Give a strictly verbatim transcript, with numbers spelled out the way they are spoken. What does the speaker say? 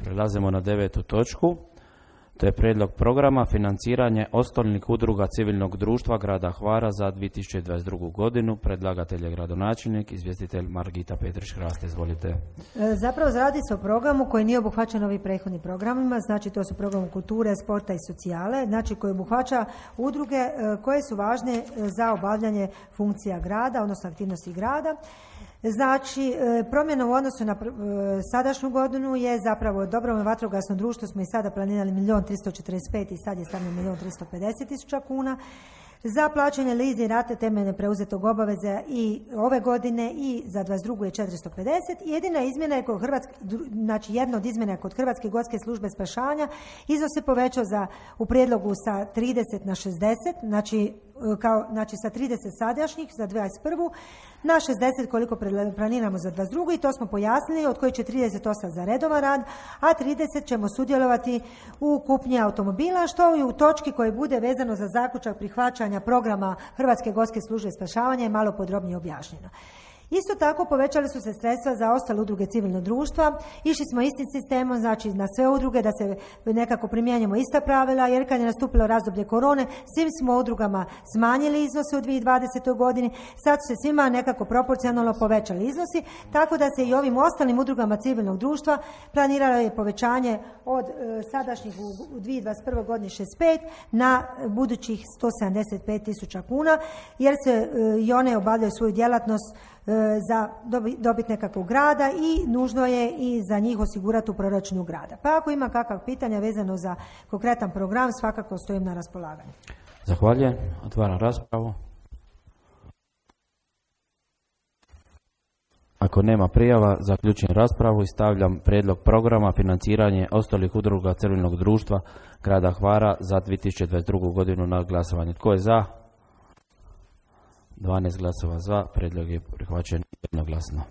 Prelazimo na devetu točku. To je prijedlog programa financiranje osnovnih udruga civilnog društva grada Hvara za dvije tisuće dvadeset drugu godinu. Predlagatelj je gradonačelnik, izvjestitelj Margita Petrić-Hrast. Izvolite. Zapravo radi se o programu koji nije obuhvaćen ovim prethodnim programima, znači to su program kulture, sporta i socijale, znači koji obuhvaća udruge koje su važne za obavljanje funkcija grada, odnosno aktivnosti grada. Znači, promjena u odnosu na sadašnju godinu je zapravo dobrovoljno vatrogasno društvo, smo i sada planirali milijun tristo četrdeset pet i sad je stavljeno milijun tristo pedeset tisuća kuna. Za plaćanje leasing rate temeljne preuzetog obaveze i ove godine i za dvadeset drugu je četiristo pedeset. Jedina izmjena je kod Hrvatske, znači jedna od izmjena je kod Hrvatske gorske službe spašavanja, iznos se povećao za, u prijedlogu sa trideset na šezdeset, znači, kao, znači sa trideset sadašnjih za dvadeset prvu na šezdeset koliko planiramo za dvadeset drugu i to smo pojasnili, od kojih će trideset osam za redovan rad, a trideset ćemo sudjelovati u kupnji automobila, što i u točki koji bude vezano za zaključak prihvaćanja programa Hrvatske gorske službe spašavanja je malo podrobnije objašnjeno. Isto tako povećali su se sredstva za ostale udruge civilnog društva, išli smo istim sistemom, znači na sve udruge da se nekako primjenjujemo ista pravila, jer kad je nastupilo razdoblje korone, svim smo udrugama smanjili iznose u dvije tisuće dvadesetoj godini, sad su se svima nekako proporcionalno povećali iznosi, tako da se i ovim ostalim udrugama civilnog društva planiralo je povećanje od e, sadašnjih u, u dvije tisuće dvadeset prvoj godini šezdeset pet na budućih sto sedamdeset pet tisuća kuna, jer se e, i one obavljaju svoju djelatnost za dobiti nekakvog grada i nužno je i za njih osigurati u proračunu grada. Pa ako ima kakva pitanja vezano za konkretan program, svakako stojim na raspolaganju. Zahvaljujem. Otvaram raspravu. Ako nema prijava, zaključujem raspravu i stavljam prijedlog programa financiranje ostalih udruga civilnog društva grada Hvara za dvije tisuće dvadeset drugu godinu na glasovanje. Tko je za? dvanaest glasova za, prijedlog je prihvaćen jednoglasno.